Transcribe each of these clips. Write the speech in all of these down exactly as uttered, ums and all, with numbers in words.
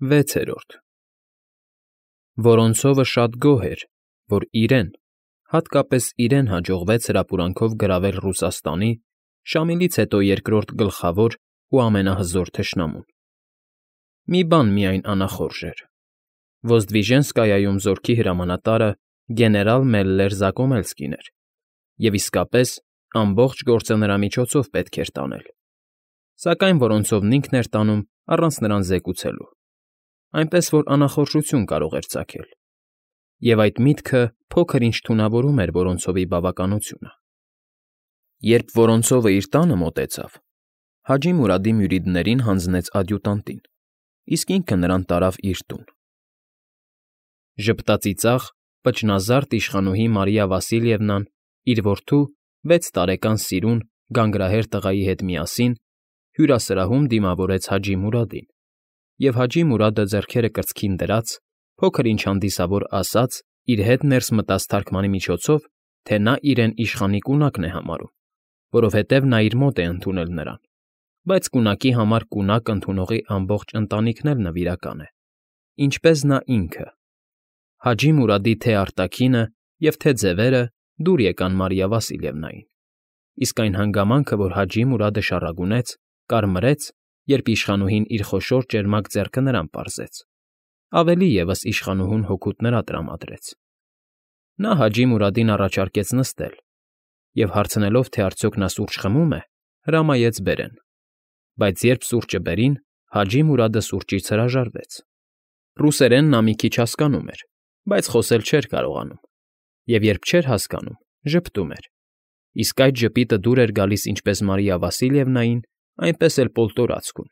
Վեցերորդ Որոնցովը շատ գոհ էր, որ իրեն, հատկապես իրեն հաջողվեց հրապուրանքով գրավել Ռուսաստանի, Շամիլից հետո երկրորդ գլխավոր ու ամենահզոր թշնամուն։ Մի բան միայն անախորժ էր. Ոզդվիժենսկայայում զորքի հրամանատարը գեներալ Մելլեր Զակոմելսկին էր, և իսկապես ամբողջ գործը նրա միջոցով պետք էր տանել, սակայն Որոնցովն ինքն էր տանում առանց նրան զեկուցելու, այնպես որ անախորժություն կարող էր ծագել, և այդ միտքը փոքր֊ինչ թունավորում էր Որոնցովի բավականությունը։ Երբ Որոնցովը իր տանը մոտեցավ, Հաջի Մուրադի մյուրիդներին հանձնեց ադյուտանտին, իսկ ինքը նրան տարավ իր տուն։ Ժպտածիծաղ, պճնազարդ իշխանուհի Մարիա Վասիլևնան իր որդու վեց տարեկան սիրուն, գանգրահեր տղայի հետ միասին հյուրասրահում դիմավորեց Հաջի Մուրադին, և Հաջի Մուրադը ձեռքերը կրծքին դրած, փոքր֊ինչ հանդիսավոր ասաց իր հետ ներս մտած թարգմանի միջոցով, թե նա իրեն իշխանի կունակն է համարում, որովհետև նա իր մոտ է ընդունել նրան, բայց կունակի համար կունակ ընդունողի ամբողջ ընտանիքն էլ նվիրական է, ինչպես նա ինքը։ Հաջի Մուրադի թե՛ արտաքինը և թե՛ ձևերը դուր եկան Մարիա Վասիլևնային, իսկ այն հանգամանքը, որ Հաջի Մուրադը շառագունեց, կարմրեց, երբ իշխանուհին իր խոշոր ճերմակ ձեռքը նրան պարզեց, ավելի ևս իշխանուհուն հօգուտ նրա տրամադրեց։ Նա Հաջի Մուրադին առաջարկեց նստել և, հարցնելով, թե արդյոք նա սուրճ խմում է, հրամայեց բերեն, բայց երբ սուրճը բերին, Հաջի Մուրադը սուրճից հրաժարվեց։ Ռուսերեն նա մի քիչ հասկանում էր, բայց խոսել չէր կարողանում, և երբ չէր հասկանում, ժպտում էր, իսկ այդ ժպիտը դուր էր գալիս ինչպես Մարիա Վասիլևնային, այնպես էլ Պոլտորացկուն։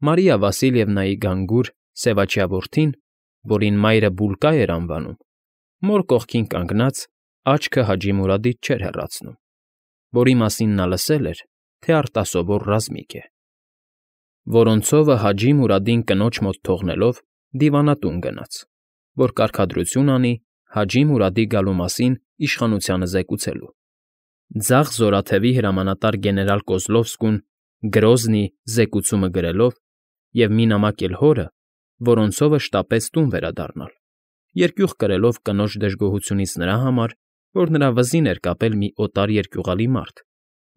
Մարիա Վասիլևնայի գանգուր, սևաչյա որդին, որին մայրը Բուլկա էր անվանում, մոր կողքին կանգնած, աչքը Հաջի Մուրադից չէր հեռացնում, որի մասին նա լսել էր, թե արտասովոր ռազմիկ է։ Որոնցովը Հաջի Մուրադին կնոջ մոտ թողնելով դիվանատուն գնաց, որ կարգադրություն անի Հաջի Մուրադի գալու մասին իշխանությանը զեկուցելու։ Ձախ զորաթևի հրամանատար գեներալ Կոզլովսկուն Գրոզնի զեկուցումը գրելով և մի նամակ էլ հորը, Որոնցովը շտապեց տուն վերադառնալ, երկյուղ կրելով կնոջ դժգոհությունից նրա համար, որ նրա վզին էր կապել մի օտար երկյուղալի մարդ,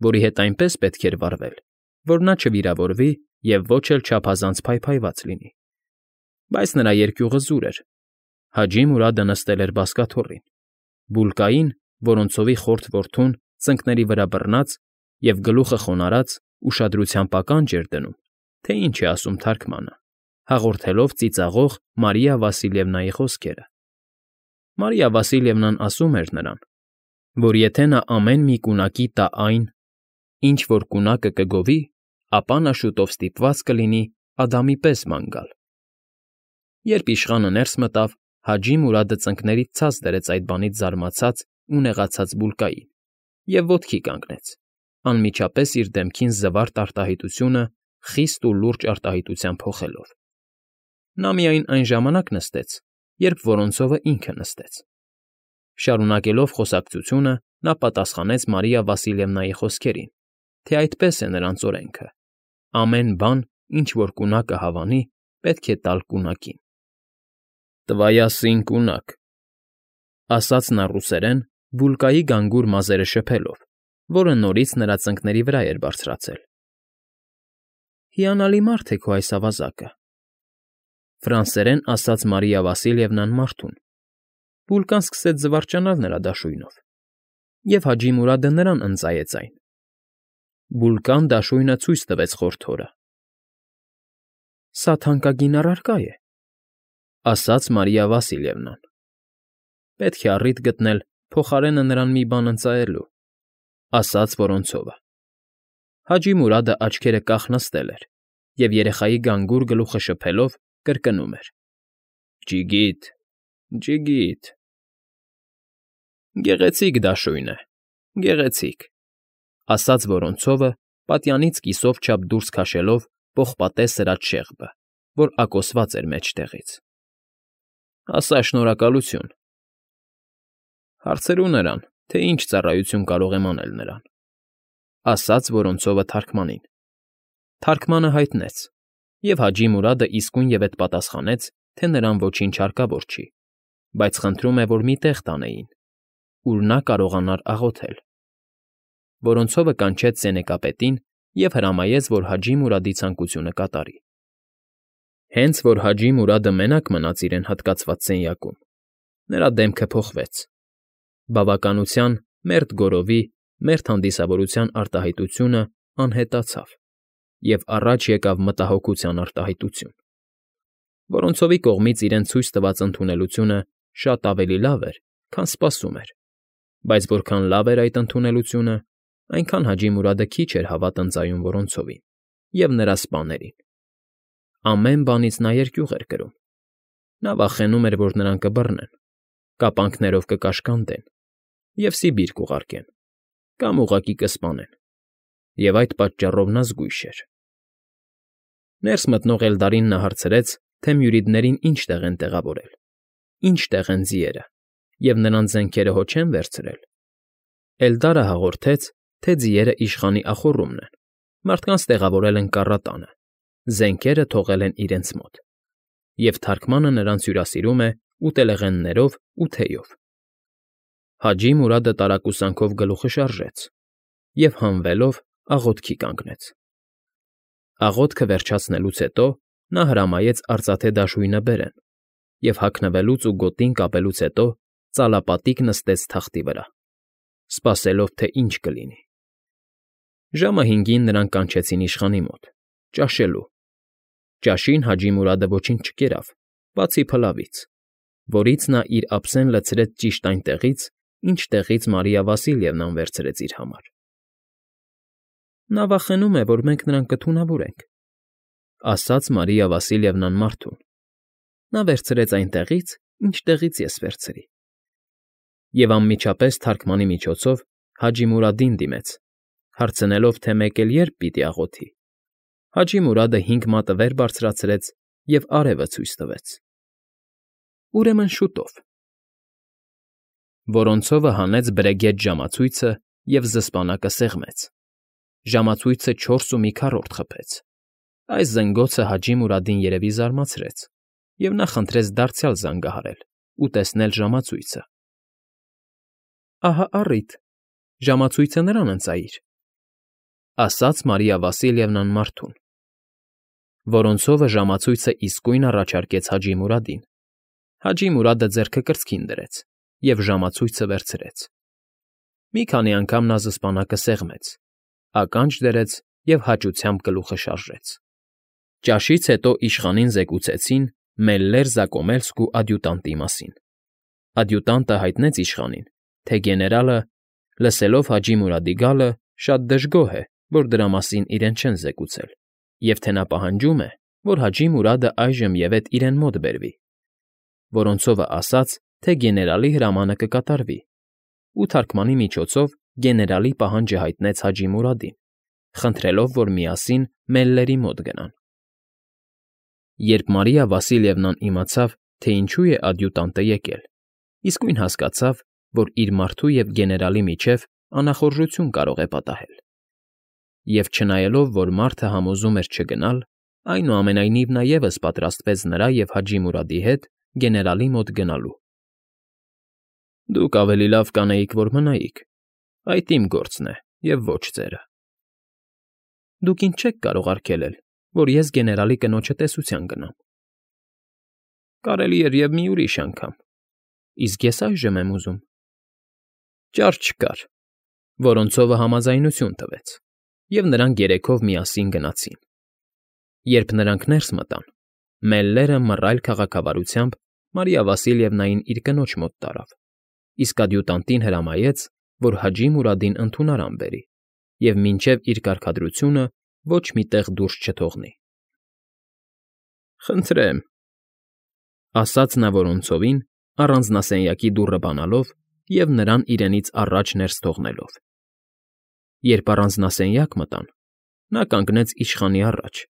որի հետ այնպես պետք էր վարվել, որ նա չվիրավորվի և ոչ էլ չափազանց փայփայված լինի։ Բայց նրա երկյուղը զուր էր, Հաջի Մուրադը նստել էր բազկաթոռին, Բուլկային, Որոնցովի խորթ որդուն, ծնկների վրա բռնած և գլուխը խոնարհած, ուշադրությամբ ականջ էր դնում, թե ինչ է ասում թարգմանը, հաղորդելով ծիծաղող Մարիա Վասիլևնայի խոսքերը։ Մարիա Վասիլևնան ասում էր նրան, որ եթե նա ամեն մի կունակի տա այն, ինչ որ կունակը կգովի, ապա նա շուտով ստիպված կլինի Ադամի պես ման գալ։ Երբ իշխանը ներս մտավ, Հաջի Մուրադը ծնկներից ցած դրեց այդ բանից զարմացած ու նեղացած Բուլկային և ոտքի կանգնեց, անմիջապես իր դեմքին զվարթ արտահայտությունը խիստ ու լուրջ արտահայտությամբ փոխելով։ Նա միայն այն ժամանակ նստեց, երբ Որոնցովը ինքը նստեց։ Շարունակելով խոսակցությունը, նա պատասխանեց Մարիա Վասիլևնայի խոսքերին, թե այդպես է նրանց օրենքը. ամեն բան, ինչ որ կունակը հավանի, պետք է տալ կունակին։ «Տվայա սին կունակ», ասաց նա ռուսերեն, Բուլկայի գանգուր մազերը շփելով, որը նորից նրա ծնկների վրա էր բարձրացել։ «Հիանալի մարդ է քո այս ավազակը», ֆրանսերեն ասաց Մարիա Վասիլևնան մարդուն։ Բուլկան սկսեց զվարճանալ նրա դաշույնով, և Հաջի Մուրադը նրան ընծայեց այն։ Բուլկան դաշույնը ցույց տվեց խորթ հորը։ «Սա թանկագին առարկա է», ասաց Մարիա Վասիլևնան։ Պետք է առիթ գտնել փոխարենը նրան մի բան ընծայելու, ասաց Որոնցովը։ Հաջի Մուրադը աչքերը կախ նստել էր և երեխայի գանգուր գլուխը շփելով կրկնում էր. «Ջիգիտ, ջիգիտ»։ Գեղեցիկ դաշույն է, գեղեցիկ, ասաց Որոնցովը, պատյանից կիսով չափ դուրս քաշելով պողպատե սրած շեղբը, որ ակոսված էր մեջտեղից։ Ասա շնորհակալություն։ Հարցրու նրան, թե ինչ ծառայություն կարող եմ անել նրան, ասաց Որոնցովը թարգմանին։ Թարգմանը հայտնեց. և Հաջի Մուրադը իսկույնևեթ պատասխանեց, թե նրան ոչինչ հարկավոր չի, բայց խնդրում է, որ մի տեղ տանեին, ուր նա կարողանար աղոթել։ Որոնցովը կանչեց սենեկապետին և հրամայեց, որ Հաջի Մուրադի ցանկությունը կատարի։ Հենց որ Հաջի Մուրադը մենակ մնաց իրեն հատկացված սենյակում, նրա դեմքը փոխվեց, բավականության, մերթ գորովի, մերթ հանդիսավորության արտահայտությունը անհետացավ, և առաջ եկավ մտահոգության արտահայտություն։ Որոնցովի կողմից իրեն ցույց տված ընդունելությունը շատ ավելի լավ էր, քան սպասում էր, բայց որքան լավ էր այդ ընդունելությունը, այնքան Հաջի Մուրադը քիչ էր հավատ ընծայում Որոնցովին և նրա սպաներին։ Ամեն բանից նա երկյուղ էր կրում։ Նա վախենում էր, որ նրան կբռնեն, կապանքներով կկաշկանդեն և Սիբիր կուղարկեն, կամ ուղղակի կսպանեն, և այդ պատճառով նա զգույշ էր։ Ներս մտնող Էլդարին նա հարցրեց, թե մյուրիդներին ինչ տեղ են տեղավորել, ինչ տեղ են ձիերը, և նրանց զենքերը հո չեն վերցրել։ Էլդարը հաղորդեց, թե ձիերը իշխանի ախոռումն են, մարդկանց տեղավորել են կառատանը, զենքերը թողել են իրենց մոտ, և թարգմանը նրանց հյուրասիրում է ուտելեղեններով ու թեյով։ Հաջի Մուրադը տարակուսանքով գլուխը շարժեց և, հանվելով, աղոթքի կանգնեց։ Աղոթքը վերջացնելուց հետո նա հրամայեց արծաթե դաշույնը բերեն և, հագնվելուց ու գոտին կապելուց հետո, ծալապատիկ նստեց թախտի վրա, սպասելով, թե ինչ կլինի։ Ժամը հինգին նրանք կանչեցին իշխանի մոտ՝ ճաշելու։ Ճաշին Հաջի Մուրադը ոչինչ չկերավ, բացի փլավից, որից նա իր ափսեն լցրեց ճիշտ այնտեղից, ինչտեղից Մարիա Վասիլևնան վերցրեց իր համար։ Նա վախենում է, որ մենք նրան կթունավորենք,֊ ասաց Մարիա Վասիլևնան մարդուն։ Նա վերցրեց այնտեղից, ինչտեղից ես վերցրի։ Եվ անմիջապես թարգմանի միջոցով Հաջի Մուրադին դիմեց, հարցնելով, թե մեկ էլ երբ պիտի աղոթի։ Հաջի Մուրադը հինգ մատը վեր բարձրացրեց և արևը ցույց տվեց։ Ուրեմն շուտով։ Որոնցովը հանեց բրեգետ ժամացույցը և զսպանակը սեղմեց։ Ժամացույցը չորս ու մի քառորդ խփեց։ Այս զնգոցը Հաջի Մուրադին երևի զարմացրեց, և նա խնդրեց դարձյալ զանգահարել ու տեսնել ժամացույցը։ Ահա առիթ, ժամացույցը նրան ընծայիր,֊ ասաց Մարիա Վասիլևնան մարդուն։ Որոնցովը ժամացույցը իսկույն առաջարկեց Հաջի Մուրադին։ Հաջի Մուրադը ձեռքը կրծքին դրեց և ժամացույցը վերցրեց։ Մի քանի անգամ նա զսպանակը սեղմեց, ականջ դրեց և հաճությամբ գլուխը շարժեց։ Ճաշից հետո իշխանին զեկուցեցին Մելլեր Զակոմելսկու ադյուտանտի մասին։ Ադյուտանտը հայտնեց իշխանին, թե գեներալը, լսելով Հաջի Մուրադի գալը, շատ դժգոհ է, որ դրա մասին իրեն չեն զեկուցել, և թե նա պահանջում է, որ Հաջի Մուրադը այժմևեթ իրեն մոտ բերվի։ Որոնցովը ասաց, թե գեներալի հրամանը կկատարվի, ու թարգմանի միջոցով գեներալի պահանջը հայտնեց Հաջի Մուրադին, խնդրելով, որ միասին Մելլերի մոտ գնան։ Երբ Մարիա Վասիլևնան իմացավ, թե ինչու է ադյուտանտը եկել, իսկույն հասկացավ, որ իր մարդու և գեներալի միջև անախորժություն կարող է պատահել։ Եվ չնայելով, որ մարդը համոզում էր չգնալ, այնուամենայնիվ նա ևս պատրաստվեց նրա և Հաջի Մուրադի հետ գեներալի մոտ գնալու։ Դուք ավելի լավ կանեիք, որ մնայիք, այդ իմ գործն է և ոչ ձերը։ Դուք ինձ չեք կարող արգելել, որ ես գեներալի կնոջը տեսության գնամ։ Կարելի էր և մի ուրիշ անգամ, իսկ ես այժմ եմ ուզում։ Ճար չկար։ Որոնցովը համաձայնություն տվեց, և նրանք երեքով միասին գնացին։ Երբ նրանք ներս մտան, Մելլերը մռայլ քաղաքավարությամբ Մարիա Վասիլևնային իր կնոջ մոտ տարավ, իսկ ադյուտանտին հրամայեց, որ Հաջի Մուրադին ընդունարան բերի և մինչև իր կարգադրությունը ոչ մի տեղ դուրս չթողնի։ Խնդրեմ,֊ ասաց նա Որոնցովին, առանձնասենյակի դուռը բանալով և նրան իրենից առաջ ներս թողնելով։ Երբ առանձնասենյակ մտան, նա կանգնեց իշխանի առաջ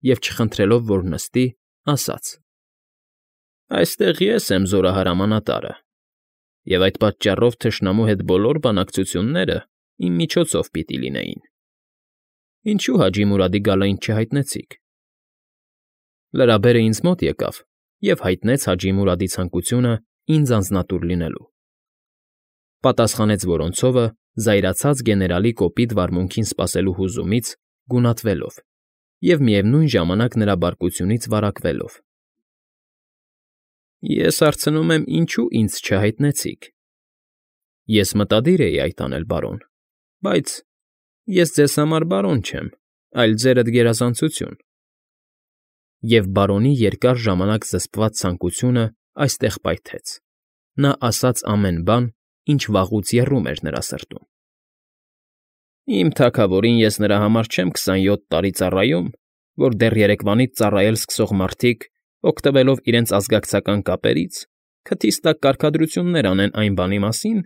և, չխնդրելով, որ նստի, ասաց. «Այստեղ ես եմ զորահարամանատարը, և այդ պատճառով թշնամու հետ բոլոր բանակցությունները իմ միջոցով պիտի լինեին։ Ինչո՞ւ Հաջի Մուրադի գալը ինձ չհայտնեցիք։ Լրաբերը ինձ մոտ եկավ և հայտնեց Հաջի Մուրադի ցանկությունը ինձ անձնատուր լինելու,֊ պատասխանեց Որոնցովը, զայրացած գեներալի կոպիտ վարմունքին սպասելու հուզումից գունատվելով և միևնույն ժամանակ նրա բարկությունից վարակվելով։ ֊ Ես հարցնում եմ, ինչո՞ւ ինձ չհայտնեցիք։ ֊ Ես մտադիր էի այդ անել, բարոն, բայց… ես ձեզ համար բարոն չեմ, այլ ձերդ գերազանցություն… Եվ բարոնի երկար ժամանակ զսպված ցանկությունը այստեղ պայթեց. նա ասաց ամեն բան, ինչ վաղուց եռում էր նրա սրտում։ ֊ Իմ թագավորին ես նրա համար չեմ քսանյոթ տարի ծառայում, որ դեռ երեկվանից ծառայել սկսող մարդիկ, օգտվելով իրենց ազգակցական կապերից, քթից տակ կարգադրություններ անեն այն բանի մասին,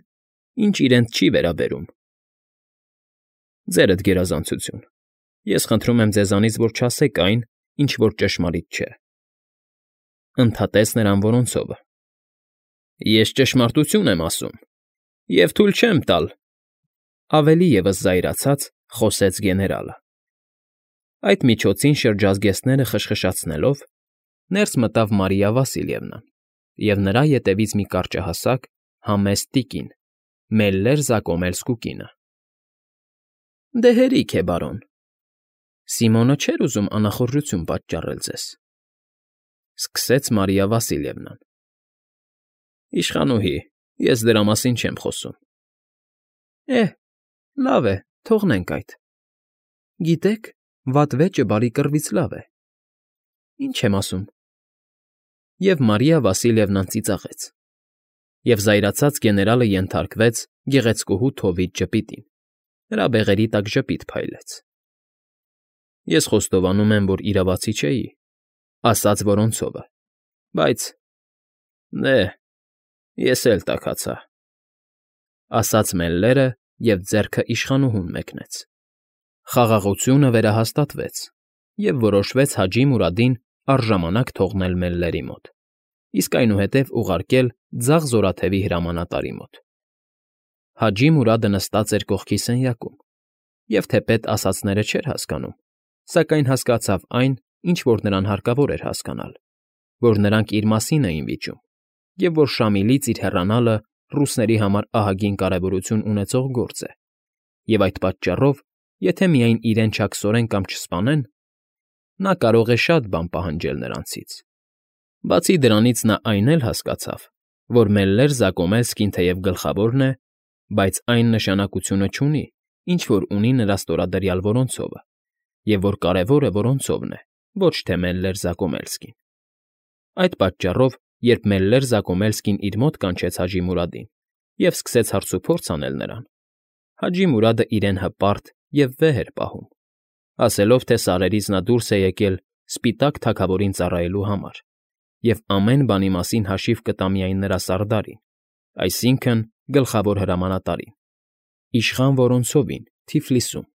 ինչ իրենց չի վերաբերում։ ֊ Ձերդ գերազանցություն, ես խնդրում եմ ձեզանից, որ չասեք այն, ինչ որ ճշմարիտ չէ,֊ ընդհատեց նրան Որոնցովը։ ֊ Ես ճշմարտություն եմ ասում և թույլ չեմ տալ,֊ ավելի ևս զայրացած խոսեց գեներալը։ Այդ միջոցին շրջազգեստները խշխշացնելով, ներս մտավ Մարիա Վասիլևնան և նրա ետևից մի կարճահասակ, համեստ տիկին՝ Մելլեր Զակոմելսկու կինը։ ֊ Դե հերիք է, բարոն… Սիմոնը չէր ուզում անախորժություն պատճառել ձեզ,֊ սկսեց Մարիա Վասիլևնան։ ֊ Իշխանուհի, ես դրա մասին չեմ խոսում։ ֊ Է՜հ, լավ է, թողնենք այդ… Գիտեք, վատ վեճը բարի կռվից լավ է… Ինչ եմ ասում… Եվ Մարիա Վասիլևնան ծիծաղեց, և զայրացած գեներալը ենթարկվեց գեղեցկուհու թովիթ ժպիտին, նրա բեղերի տակ ժպիտ փայլեց։ ֊ Ես խոստովանում եմ, որ իրավացի չէի,֊ ասաց Որոնցովը,֊ բայց… դե… ես էլ տաքացա,֊ ասաց Մելլերը և ձեռքը իշխանուհուն մեկնեց։ Խաղաղությունը վերահաստատվեց, և որոշվեց Հաջի Մուրադին առժամանակ թողնել Մելլերի մոտ, իսկ այնուհետև ուղարկել ձախ զորաթևի հրամանատարի մոտ։ Հաջի Մուրադը նստած էր կողքի սենյակում և թեպետ ասածները չէր հասկանում, սակայն հասկացավ այն, ինչ որ նրան հարկավոր էր հասկանալ, որ նրանք իր մասին էին վիճում, և որ Շամիլից իր հեռանալը ռուսների համար ահագին կարևորություն ունեցող գործ է, և այդ պատճառով, եթե միայն իրեն չաքսորեն կամ չսպանեն, նա կարող է շատ բան պահանջել նրանցից։ Բացի դրանից նա այն էլ հասկացավ, որ Մելլեր Զակոմելսկին թեև գլխավորն է, բայց այն նշանակությունը չունի, ինչ որ ունի նրա ստորադրյալ Որոնցովը, և որ կարևորը Որոնցովն է, ոչ թե Մելլեր Զակոմելսկին։ Այդ պատճառով, երբ Մելլեր Զակոմելսկին իր մոտ կանչեց Հաջի Մուրադին և սկսեց հարցուփորձ անել նրան, Հաջի Մուրադը իրեն հպարտ և վեհ էր պահում, ասելով, թե սարերից նա դուրս է եկել սպիտակ թագավորին ծառայելու համար և ամեն բանի մասին հաշիվ կտա միայն նրա սարդարին, այսինքն՝ գլխավոր հրամանատարին, իշխան Որոնցովին Թիֆլիսում։